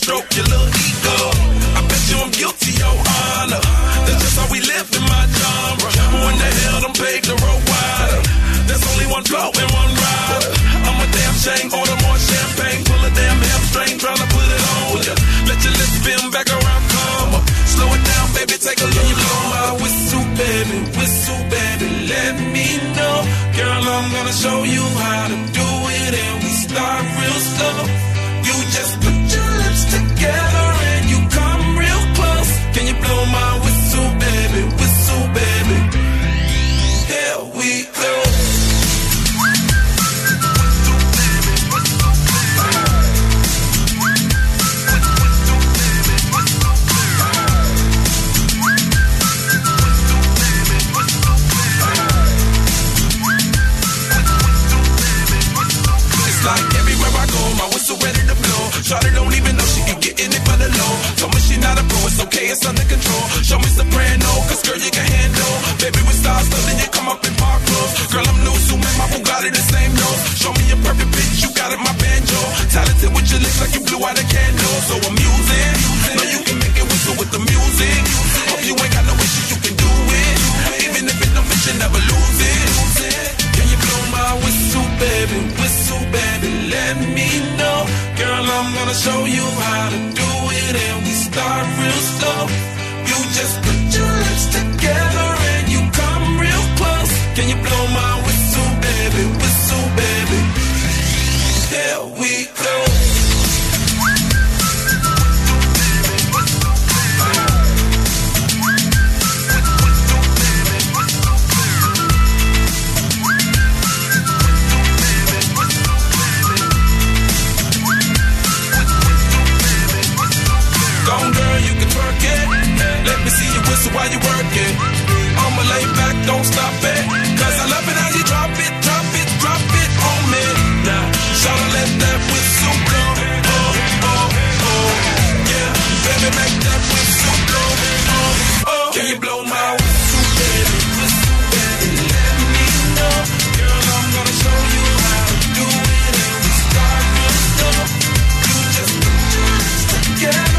stroke your little ego. I bet you I'm guilty, your honor. That's just how we live in my genre. Who in the hell done paved the road wider? There's only one blow and one rider. I'm a damn shame, order more champagne. Pull a damn hamstring, tryna put it on ya. Let your lips spin back around, come up. Slow it down, baby, take a look. Blow my whistle, baby, whistle, baby, let me know. Girl, I'm gonna show you how to do it, and we start real slow. You just put your lips together and you come real close. Can you blow my whistle, baby, whistle, baby? Here we go. Like everywhere I go, my whistle ready to blow. Shawty don't even know she can get in it for the low. Told me she not a pro, it's okay, it's under control. Show me soprano, cause girl you can handle. Baby with stars, so then you come up in park clothes. Girl I'm new, so man, my Bugatti the same nose. Show me a perfect bitch, you got it, my banjo. Talented with your lips like you blew out a candle. So I'm using, know you can make it whistle with the music. Hope you ain't got no issues, you can do it. Even if it don't fit, you never lose it. Can you blow my whistle, baby, whistle, baby, let me know. Girl, I'm gonna show you how to do it, and we start real slow. You just put your lips together and you come real close. Can you blow my whistle, baby, whistle, baby? Here we go. Gone girl, you can twerk it. Let me see you whistle while you work it. I'ma lay back, don't stop it. Cause I love it how you drop it, drop it, drop it on me. Now, shawty let that whistle blow. Oh, oh, oh. Yeah, baby make that whistle blow. Oh, oh. Can you blow my whistle, baby? Whistle, baby, let me know. Girl, I'm gonna show you how to do it, and we start real slow. You just put your lips together.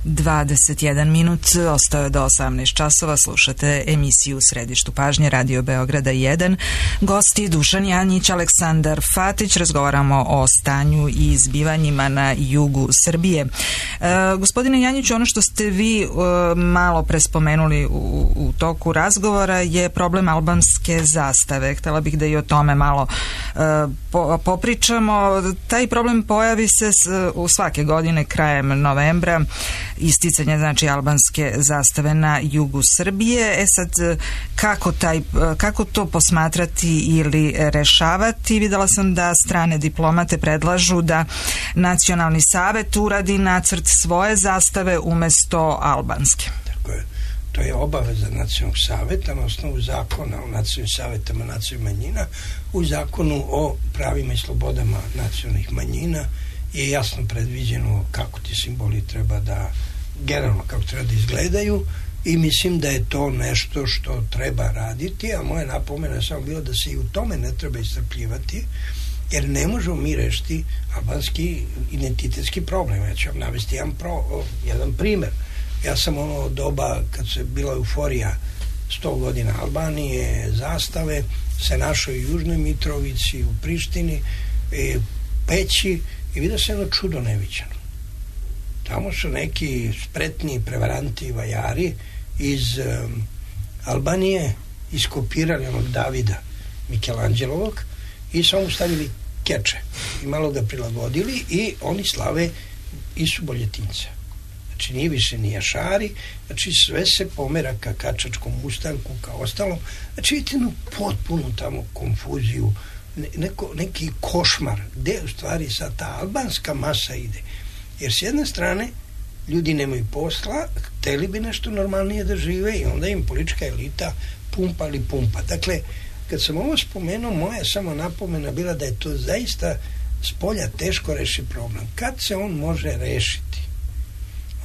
dvadeset jedan minut, ostao je do osamnaest časova, slušate emisiju u središtu pažnje Radio Beograda jedan. Gosti Dušan Janjić, Aleksandar Fatić, razgovaramo o stanju i zbivanjima na jugu Srbije. E, gospodine Janjiću, ono što ste vi e, malo prespomenuli u, u toku razgovora je problem albanske zastave. Htela bih da i o tome malo e, po, popričamo. Taj problem pojavi se s, u svake godine krajem novembra, isticanje znači albanske zastave na jugu Srbije. E sad, kako, taj, kako to posmatrati ili rešavati? Videla sam da strane diplomate predlažu da Nacionalni savet uradi nacrt svoje zastave umesto albanske. Tako je. To je obaveza Nacionalnog saveta na osnovu zakona o nacionalnim savetama nacionalnih manjina. U zakonu o pravima i slobodama nacionalnih manjina je jasno predviđeno kako ti simboli treba da, generalno kako treba da izgledaju, i mislim da je to nešto što treba raditi, a moja napomena je samo bilo da se i u tome ne treba iscrpljivati, jer ne možemo mi rešiti albanski identitetski problem. Ja ću vam navesti jedan, pro, jedan primer. Ja sam ono doba kad se bila euforija sto godina Albanije, zastave, se našao i u Južnoj Mitrovici, u Prištini, e, Peći, i vidio se jedno čudo neviđeno. Tamo su neki spretni prevaranti, vajari iz um, Albanije iskopirali onog Davida Mikelanđelovog i samo stavili keče i malo ga prilagodili i oni slave Isu Boljetinca. Znači nije više ni jašari, znači sve se pomera ka kačačkom ustanku, ka ostalom. Znači vidite jednu potpunu tamo konfuziju, neko, neki košmar, gde u stvari sad ta albanska masa ide. Jer s jedne strane ljudi nemaju posla, hteli bi nešto normalnije da žive i onda im politička elita pumpa ali pumpa. Dakle, kad sam ovo spomenuo, moja samo napomena bila da je to zaista s polja teško reši problem. Kad se on može rešiti?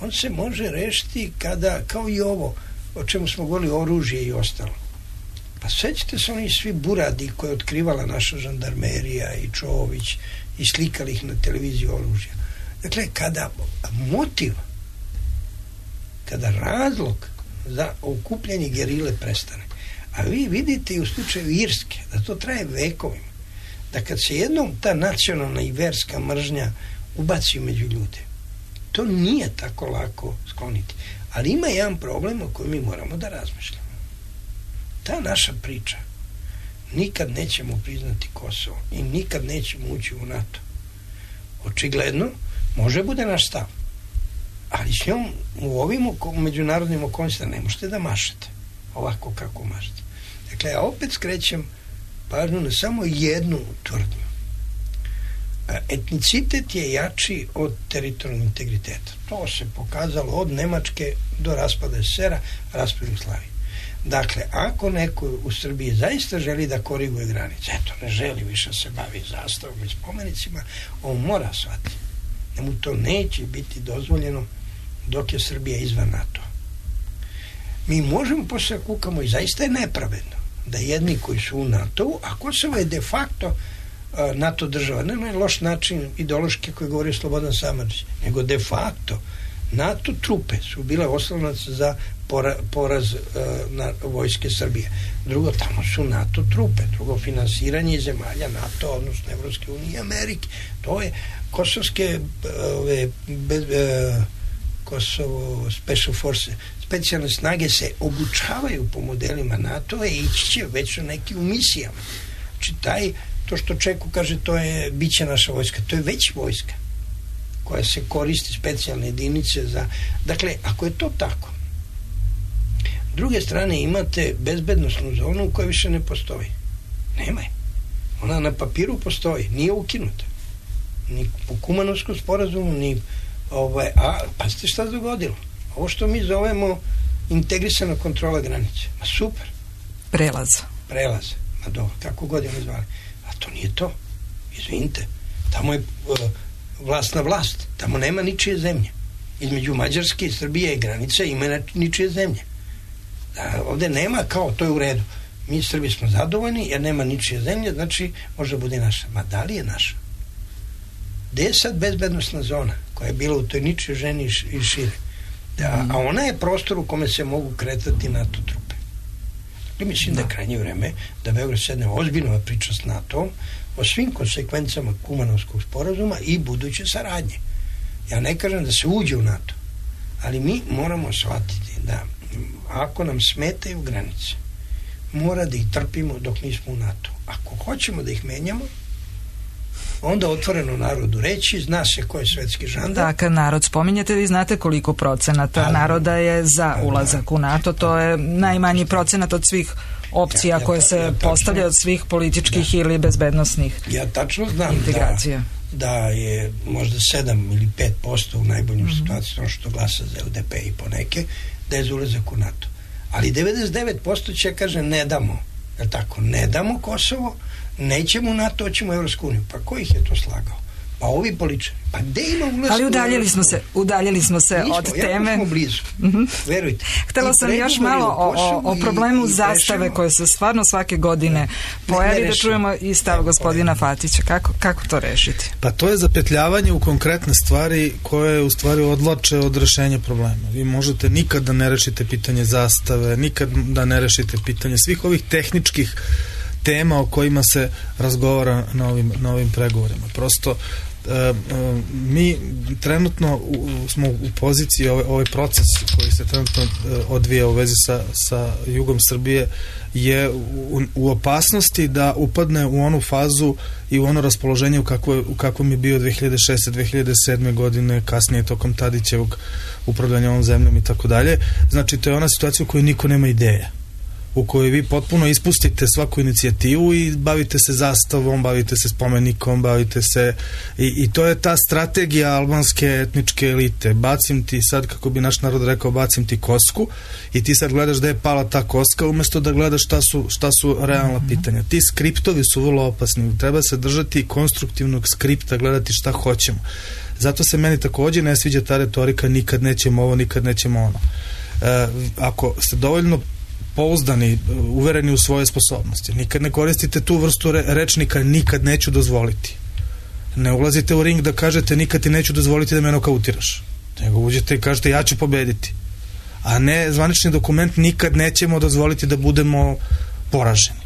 On se može rešiti kada, kao i ovo, o čemu smo govorili, oružje i ostalo. Pa sećate se oni svi buradi koje je otkrivala naša žandarmerija i Čović i slikali ih na televiziju oružja. Dakle, kada motiv, kada razlog za okupljanje gerile prestane, a vi vidite i u slučaju Irske da to traje vekovima, da kad se jednom ta nacionalna i verska mržnja ubaci među ljude, to nije tako lako skloniti. Ali ima jedan problem o kojem mi moramo da razmišljamo. Ta naša priča, nikad nećemo priznati Kosovo i nikad nećemo ući u NATO. Očigledno, može bude naš stav, ali s njom u ovim međunarodnim okolnostima ne možete da mašete ovako kako mašete. Dakle, ja opet skrećem pažnju na samo jednu tvrdnju. Etnicitet je jači od teritorijalnog integriteta. To se pokazalo od Nemačke do raspada es es er a, raspada Jugoslavije. Dakle, ako neko u Srbiji zaista želi da koriguje granice, eto, ne želi više se bavi zastavom i spomenicima, on mora shvatiti da mu to neće biti dozvoljeno dok je Srbija izvan NATO. Mi možemo posle kukamo i zaista je nepravedno da jedni koji su u NATO-u, a Kosovo je de facto uh, NATO država, ne na loš način ideološki koji govori Slobodan Samardžić, nego de facto NATO trupe su bile oslonac za pora, poraz uh, na vojske Srbije. Drugo, tamo su NATO trupe. Drugo, finansiranje zemalja NATO, odnosno Evropske unije i Amerike. To je kosovske ove, bez, uh, Kosovo Special Force, specijalne snage se obučavaju po modelima NATO-a i ići će već su neki u misijama. Znači, taj, to što Čeku kaže, to je, bit će naša vojska, to je već vojska koja se koristi specijalne jedinice za... Dakle, ako je to tako, s druge strane imate bezbednosnu zonu koja više ne postoji. Nema je. Ona na papiru postoji, nije ukinuta. Ni po Kumanovskom sporazumu, ni ovaj, a pa ste šta se dogodilo? Ovo što mi zovemo integrisana kontrola granice. Ma super. Prelaz. Prelaz. Ma dobro, kako god je ne zvali. A to nije to. Izvinite. Tamo je uh, vlast na vlast. Tamo nema ničije zemlje. Između Mađarske i Srbije i granica ima ničije zemlje. Da, ovde nema kao, to je u redu. Mi Srbi smo zadovoljni jer nema ničije zemlje, znači može bude naša. Ma da li je naša? Gde je sad bezbednostna zona koja je bila u toj ničoj ženi i šire? Da, a ona je prostor u kome se mogu kretati NATO trupe. Dakle, mislim da, da je krajnje vreme da Beograd sedne ozbiljno priča s NATO-om o svim konsekvencama Kumanovskog sporazuma i buduće saradnje. Ja ne kažem da se uđe u NATO, ali mi moramo shvatiti da ako nam smetaju granice, mora da ih trpimo dok nismo u NATO. Ako hoćemo da ih menjamo, onda otvoreno narodu reći, zna se ko je svetski žandar. Da, kad narod spominjete, vi znate koliko procenata ali, naroda je za ulazak u NATO, to je najmanji procenat od svih opcija ja, ja, koje se ja, postavljaju od svih političkih da. ili bezbednosnih ja tačno znam integracija. Da, da je možda sedam ili pet posto u najboljim mm-hmm. situacijama što glasa za el de pe i poneke, da je za ulazak u NATO. Ali devedeset devet posto će kaže ne damo, je tako, ne damo Kosovo, nećemo u NATO, hoćemo u Evropsku uniju. Pa ko ih je to slagao? Pa ovi političari. Pa gde ima ulazak? Ali udaljili smo se, udaljili smo se Nismo, od teme. Ja smo blizu. Mm-hmm. Verujte. Htela sam još malo o, o, o problemu i, i zastave koje se stvarno svake godine ne, pojavi ne da čujemo i stav ne, gospodina Fatića. Kako, kako to rešiti? Pa to je zapetljavanje u konkretne stvari koje u stvari odlače od rešenja problema. Vi možete nikad da ne rešite pitanje zastave, nikad da ne rešite pitanje svih ovih tehničkih tema o kojima se razgovara na ovim, na ovim pregovorima. Prosto e, e, mi trenutno u, smo u poziciji, ovaj, ovaj proces koji se trenutno e, odvija u vezi sa, sa jugom Srbije je u, u opasnosti da upadne u onu fazu i u ono raspoloženje u, kakvo, u kakvom je bio dve hiljade šeste. dve hiljade sedme. godine, kasnije tokom Tadićevog upravljanja ovom zemljom i tako dalje. Znači, to je ona situacija u kojoj niko nema ideja. u kojoj vi potpuno ispustite svaku inicijativu i bavite se zastavom, bavite se spomenikom, bavite se i, i to je ta strategija albanske etničke elite. Bacim ti sad, kako bi naš narod rekao, bacim ti kosku i ti sad gledaš da je pala ta koska umjesto da gledaš šta su, šta su realna mm-hmm. pitanja. Ti skriptovi su vrlo opasni. Treba se držati konstruktivnog skripta, gledati šta hoćemo. Zato se meni također ne sviđa ta retorika nikad nećemo ovo, nikad nećemo ono. E, ako ste dovoljno pouzdani, uvereni u svoje sposobnosti, nikad ne koristite tu vrstu re, rečnika nikad neću dozvoliti. Ne ulazite u ring da kažete nikad ti neću dozvoliti da me nokautiraš. Nego uđete i kažete ja ću pobediti. A ne zvanični dokument nikad nećemo dozvoliti da budemo poraženi.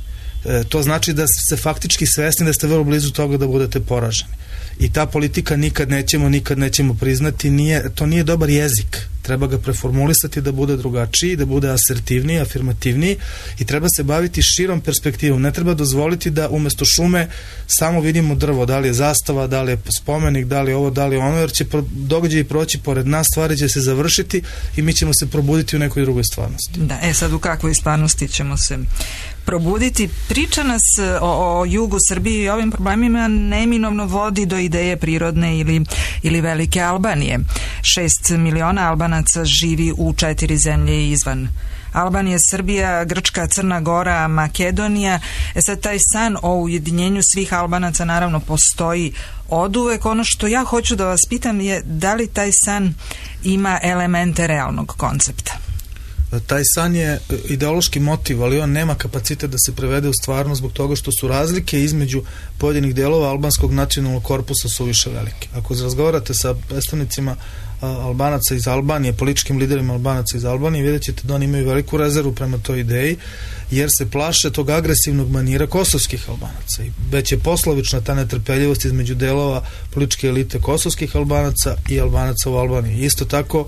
E, to znači da ste faktički svesni da ste vrlo blizu toga da budete poraženi. I ta politika nikad nećemo, nikad nećemo priznati, nije, to nije dobar jezik. Treba ga preformulisati da bude drugačiji, da bude asertivniji, afirmativniji i treba se baviti širom perspektivom. Ne treba dozvoliti da umjesto šume samo vidimo drvo, da li je zastava, da li je spomenik, da li je ovo, da li je ono, jer će događaj proći pored nas, stvari će se završiti i mi ćemo se probuditi u nekoj drugoj stvarnosti. Da, e sad u kakvoj stvarnosti ćemo se probuditi? Priča nas o, o jugu Srbije i ovim problemima neminovno vodi do ideje prirodne ili, ili velike Albanije. Šest miliona Albanaca živi u četiri zemlje izvan Albanije, Srbija, Grčka, Crna Gora, Makedonija. E sad taj san o ujedinjenju svih Albanaca naravno postoji oduvek. Ono što ja hoću da vas pitam je da li taj san ima elemente realnog koncepta? Taj san je ideološki motiv, ali on nema kapacitet da se prevede u stvarnost zbog toga što su razlike između pojedinih delova albanskog nacionalnog korpusa su više velike. Ako razgovarate sa predstavnicima Albanaca iz Albanije, političkim liderima Albanaca iz Albanije, vidjet ćete da oni imaju veliku rezervu prema toj ideji, jer se plaše tog agresivnog manira kosovskih Albanaca. I već je poslovična ta netrpeljivost između delova političke elite kosovskih Albanaca i Albanaca u Albaniji. Isto tako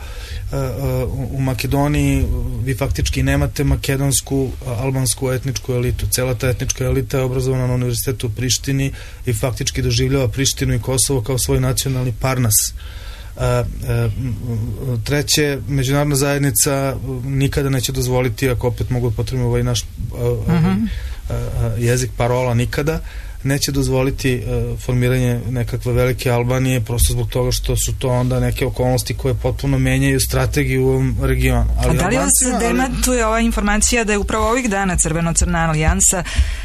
u Makedoniji vi faktički nemate makedonsku albansku etničku elitu. Cela ta etnička elita je obrazovana na univerzitetu u Prištini i faktički doživljava Prištinu i Kosovo kao svoj nacionalni parnas. Treće, međunarodna zajednica nikada neće dozvoliti, ako opet mogu potrebno ovaj naš uh-huh. jezik parola, nikada neće dozvoliti formiranje nekakve velike Albanije, prosto zbog toga što su to onda neke okolnosti koje potpuno menjaju strategiju u ovom regionu. Ali A da li vas demantuje ova informacija da je upravo ovih dana Crveno-crna alijansa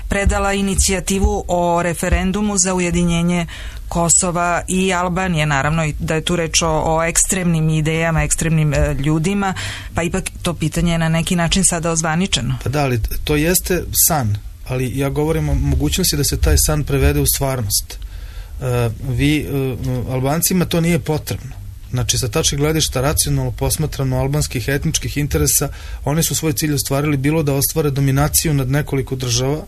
predala inicijativu o referendumu za ujedinjenje Kosova i Albanije, naravno i da je tu reč o, o ekstremnim idejama, ekstremnim e, ljudima, pa ipak to pitanje je na neki način sada ozvaničeno. Pa da, ali to jeste san, ali ja govorim o mogućnosti da se taj san prevede u stvarnost. E, vi, e, Albancima to nije potrebno. Znači, sa tačke gledišta racionalno posmatrano albanskih etničkih interesa, oni su svoj cilj ostvarili bilo da ostvare dominaciju nad nekoliko država,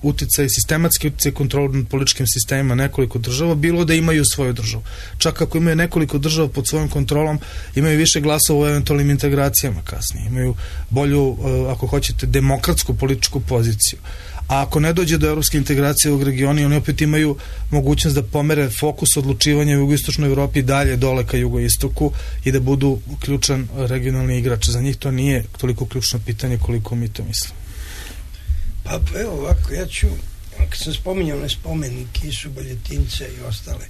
uticaj, sistematski uticaj kontrol nad političkim sistemima nekoliko država, bilo da imaju svoju državu. Čak ako imaju nekoliko država pod svojom kontrolom, imaju više glasova u eventualnim integracijama kasnije. Imaju bolju, ako hoćete, demokratsku političku poziciju. A ako ne dođe do evropske integracije u regionu, oni opet imaju mogućnost da pomere fokus odlučivanja u jugoistočnoj Evropi dalje dole ka jugoistoku i da budu ključan regionalni igrač. Za njih to nije toliko ključno pitanje koliko mi to mislimo. Pa evo ovako, ja ću, kad sam spominjao ne spomenike i Suboljetince i ostale,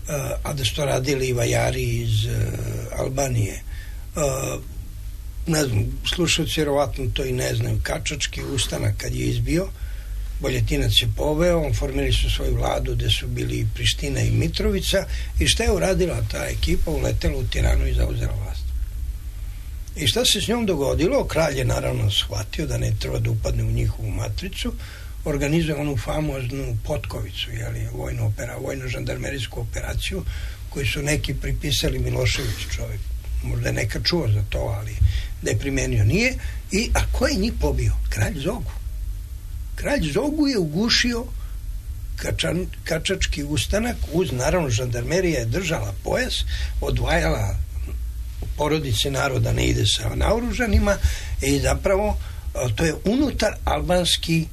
a, a da su to radili i vajari iz uh, Albanije, uh, ne znam, slušalci vjerovatno to i ne znaju, Kačački ustanak kad je izbio, Boljetinac je poveo, on formirali su svoju vladu gde su bili Priština i Mitrovica i šta je uradila ta ekipa? Uletela u Tiranu i zauzela vlast. I šta se s njom dogodilo? Kralj je naravno shvatio da ne treba da upadne u njihovu matricu, organizuje onu famoznu Potkovicu, jeli, vojnu opera, vojno-žandarmerijsku operaciju koju su neki pripisali Miloševiću, čovjek. Možda je neka čuo za to, ali da je primenio nije. I, a ko je njih pobio? Kralj Zogu. Kralj Zogu je ugušio Kačan, Kačački ustanak, uz naravno žandarmerija je držala pojas, odvajala porodice naroda ne ide sa naoružanima i zapravo to je unutar albanski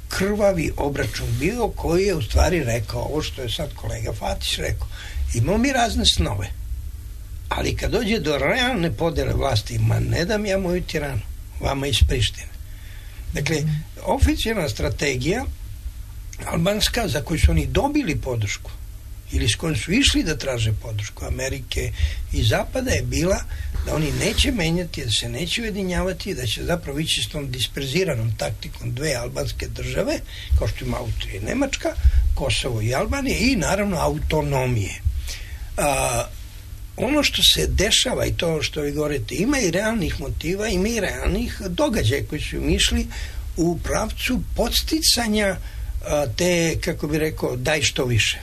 krvavi obračun bio koji je u stvari rekao ovo što je sad kolega Fatić rekao. Imamo mi razne snove, ali kad dođe do realne podele vlasti, ma ne dam ja moju Tiranu, vama iz Prištine. Dakle, oficijalna strategija albanska, za koju su oni dobili podršku ili s kojom su išli da traže podršku Amerike i Zapada, je bila da oni neće menjati, da se neće ujedinjavati, da će zapravo ići s tom disperziranom taktikom dve albanske države, kao što ima Austrija i Nemačka, Kosovo i Albanija, i naravno autonomije. A, ono što se dešava i to što vi govorite, ima i realnih motiva, ima i realnih događaja koji su im išli u pravcu podsticanja a, te, kako bi rekao, daj što više.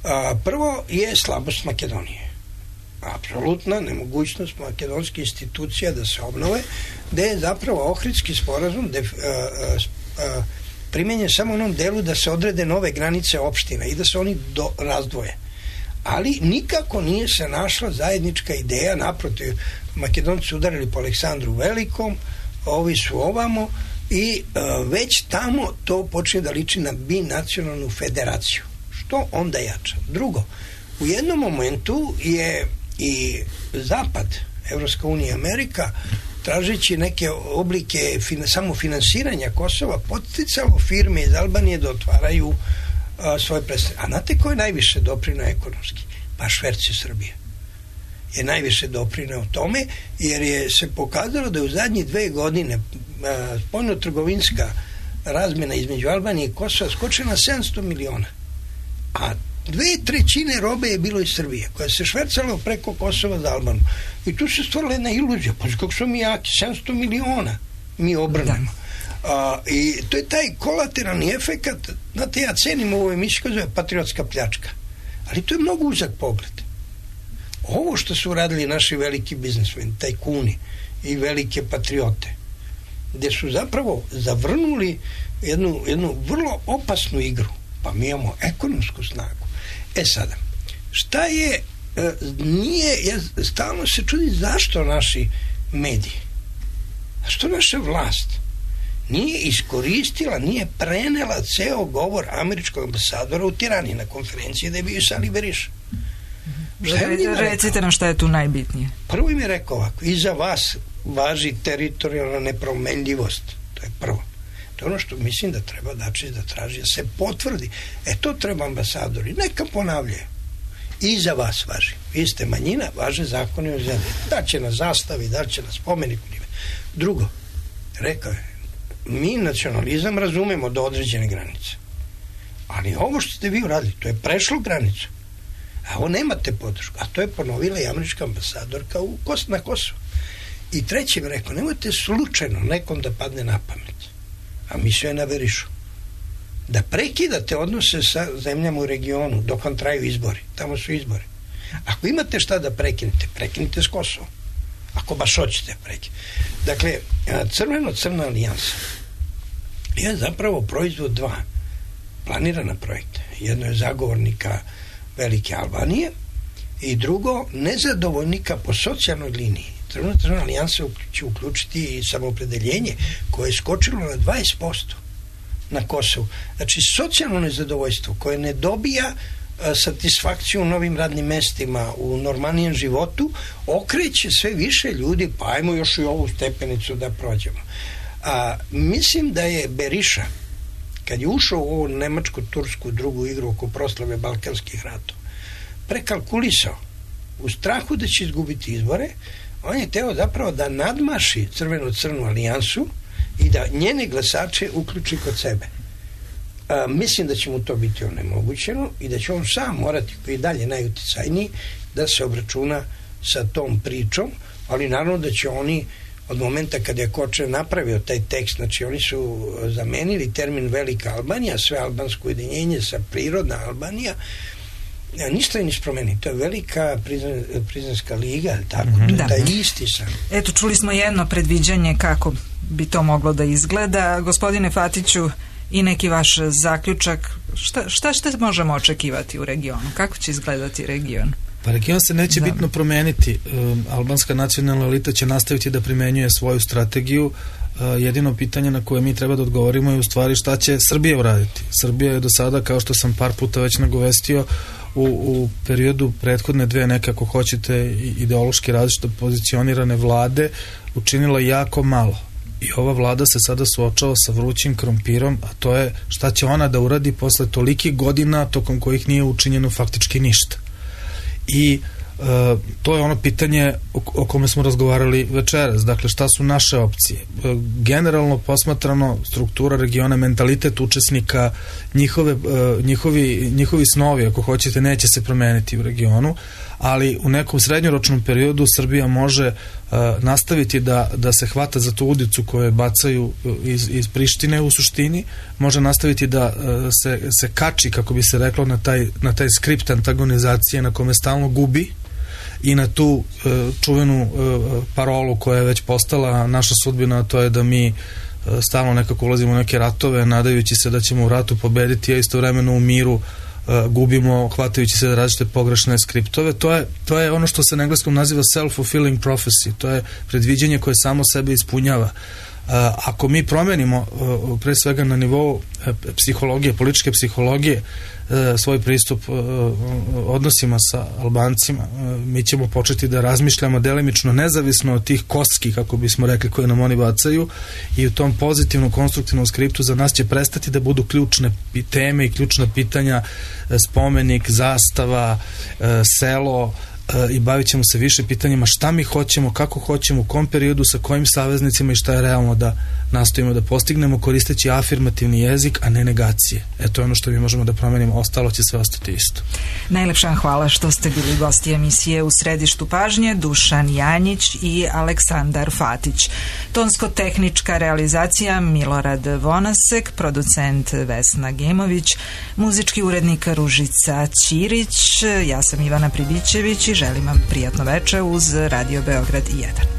A, prvo je slabost Makedonije. Apsolutna nemogućnost makedonskih institucija da se obnove, gde je zapravo Ohridski sporazum de, a, a, a, primenjen samo u onom delu da se odrede nove granice opština i da se oni do, razdvoje. Ali nikako nije se našla zajednička ideja, naprotiv, Makedonci udarili po Aleksandru Velikom, ovi su ovamo, i uh, već tamo to počne da liči na binacionalnu federaciju, što onda jača. Drugo, u jednom momentu je i Zapad, Evropska unija, Amerika, tražeći neke oblike fin- samofinansiranja Kosova, podsticalo firme iz Albanije da otvaraju a, svoje predstavljanje. A znate ko je najviše doprineo ekonomski? Pa šverci Srbije je najviše doprineo tome, jer je se pokazalo da je u zadnje dve godine spoljno-trgovinska razmjena između Albanije i Kosova skočila na sedamsto miliona. A dve trećine robe je bilo iz Srbije, koja se švercala preko Kosova za Albanu. I tu se stvorila jedna iluzija, pa kako smo mi jaki, sedamsto miliona mi obrnemo. A, i to je taj kolateralni efekat. Znate, ja cenim ovu emisiju koja zove patriotska pljačka, ali to je mnogo uzak pogled. Ovo što su uradili naši veliki biznismeni, tajkuni i velike patriote, gde su zapravo zavrnuli jednu, jednu vrlo opasnu igru, pa mi imamo ekonomsku snagu. E sada, šta je, e, nije, ja stalno se čudim zašto naši mediji, zašto naša vlast nije iskoristila, nije prenela ceo govor američkog ambasadora u Tirani na konferenciji da je bio Sali Beriša. Recite nam šta je tu najbitnije. Prvo im je rekao ovako: iza vas važi teritorijalna nepromenljivost. To je prvo. To je ono što mislim da treba Dačić da traži, da se potvrdi. E to treba ambasadori, neka ponavljaju. Iza vas važi. Vi ste manjina, važe zakoni o zemlji. Da će na zastavi, da će na spomeniku. Drugo, rekao je, mi nacionalizam razumemo do određene granice. Ali ovo što ste vi uradili, to je prešlo granicu. A ovo nemate podršku. A to je ponovila i američka ambasadorka u Kos, na Kosovo. I treći mi rekao, nemojte slučajno nekom da padne na pamet, a mislio je na Berišu, da prekidate odnose sa zemljama u regionu dok vam traju izbori. Tamo su izbori. Ako imate šta da prekinete, prekinite s Kosovom. Ako baš hoćete prekinete. Dakle, crveno-crna alijansa je zapravo proizvod dva planirana projekta. Jedno je zagovornika velike Albanije i drugo nezadovoljnika po socijalnoj liniji. Crveno-crna alijansa će uključiti i samoopredeljenje koje je skočilo na dvadeset posto na Kosovu. Znači, socijalno nezadovoljstvo koje ne dobija a, satisfakciju u novim radnim mestima, u normalnijem životu, okreće sve više ljudi, pa ajmo još i ovu stepenicu da prođemo. A, mislim da je Beriša, kad je ušao u ovu nemačko-tursku drugu igru oko proslave Balkanskih ratova, prekalkulisao u strahu da će izgubiti izbore. On je teo zapravo da nadmaši crveno-crnu alijansu i da njene glasače uključi kod sebe. A, mislim da će mu to biti onemogućeno i da će on sam morati, koji je dalje najuticajniji, da se obračuna sa tom pričom, ali naravno da će oni od momenta kada je Kočer napravio taj tekst, znači oni su zamenili termin Velika Albanija, sve albansko ujedinjenje sa prirodna Albanija, ništa je niš promeni. To je Velika prizna, prizanska liga, tako, mm-hmm. to je da. taj isti sam. Eto, čuli smo jedno predviđanje kako bi to moglo da izgleda. Gospodine Fatiću, i neki vaš zaključak, šta, šta, šta možemo očekivati u regionu? Kako će izgledati region? Pa region se neće da. bitno promeniti. Um, albanska nacionalna elita će nastaviti da primenjuje svoju strategiju. Uh, jedino pitanje na koje mi treba da odgovorimo je u stvari šta će Srbija uraditi. Srbija je do sada, kao što sam par puta već nagovestio, u, u periodu prethodne dve nekako hoćete ideološki različito pozicionirane vlade učinila jako malo. i ova vlada se sada suočava sa vrućim krompirom, a to je šta će ona da uradi posle tolikih godina tokom kojih nije učinjeno faktički ništa. I Uh, to je ono pitanje o, o kome smo razgovarali večeras. Dakle, šta su naše opcije? Uh, generalno posmatrano, struktura regiona, mentalitet učesnika, njihove, uh, njihovi, njihovi snovi, ako hoćete, neće se promeniti u regionu, ali u nekom srednjoročnom periodu Srbija može uh, nastaviti da, da se hvata za tu udicu koje bacaju iz, iz Prištine u suštini, može nastaviti da uh, se, se kači, kako bi se reklo, na taj, na taj skript antagonizacije na kome stalno gubi, i na tu uh, čuvenu uh, parolu koja je već postala naša sudbina, a to je da mi uh, stalno nekako ulazimo u neke ratove nadajući se da ćemo u ratu pobediti, a istovremeno u miru uh, gubimo, hvatajući se da različite pogrešne skriptove. To je, to je ono što se na engleskom naziva self-fulfilling prophecy, to je predviđenje koje samo sebe ispunjava. Uh, ako mi promenimo uh, pre svega na nivou uh, psihologije, političke psihologije, svoj pristup odnosima sa Albancima, mi ćemo početi da razmišljamo delimično nezavisno od tih kostki, kako bismo rekli, koje nam oni bacaju, i u tom pozitivnom, konstruktivnom skriptu za nas će prestati da budu ključne teme i ključna pitanja spomenik, zastava, selo, i bavit ćemo se više pitanjima šta mi hoćemo, kako hoćemo, u kom periodu, sa kojim saveznicima i šta je realno da nastojimo da postignemo koristeći afirmativni jezik, a ne negacije. E, to je ono što mi možemo da promenimo, ostalo će sve ostati isto. Najlepša hvala što ste bili gosti emisije U središtu pažnje, Dušan Janjić i Aleksandar Fatić. Tonsko-tehnička realizacija Milorad Vonasek, producent Vesna Gemović, muzički urednik Ružica Ćirić, ja sam Ivana Pribićević i želim vam prijatno veče uz Radio Beograd jedan.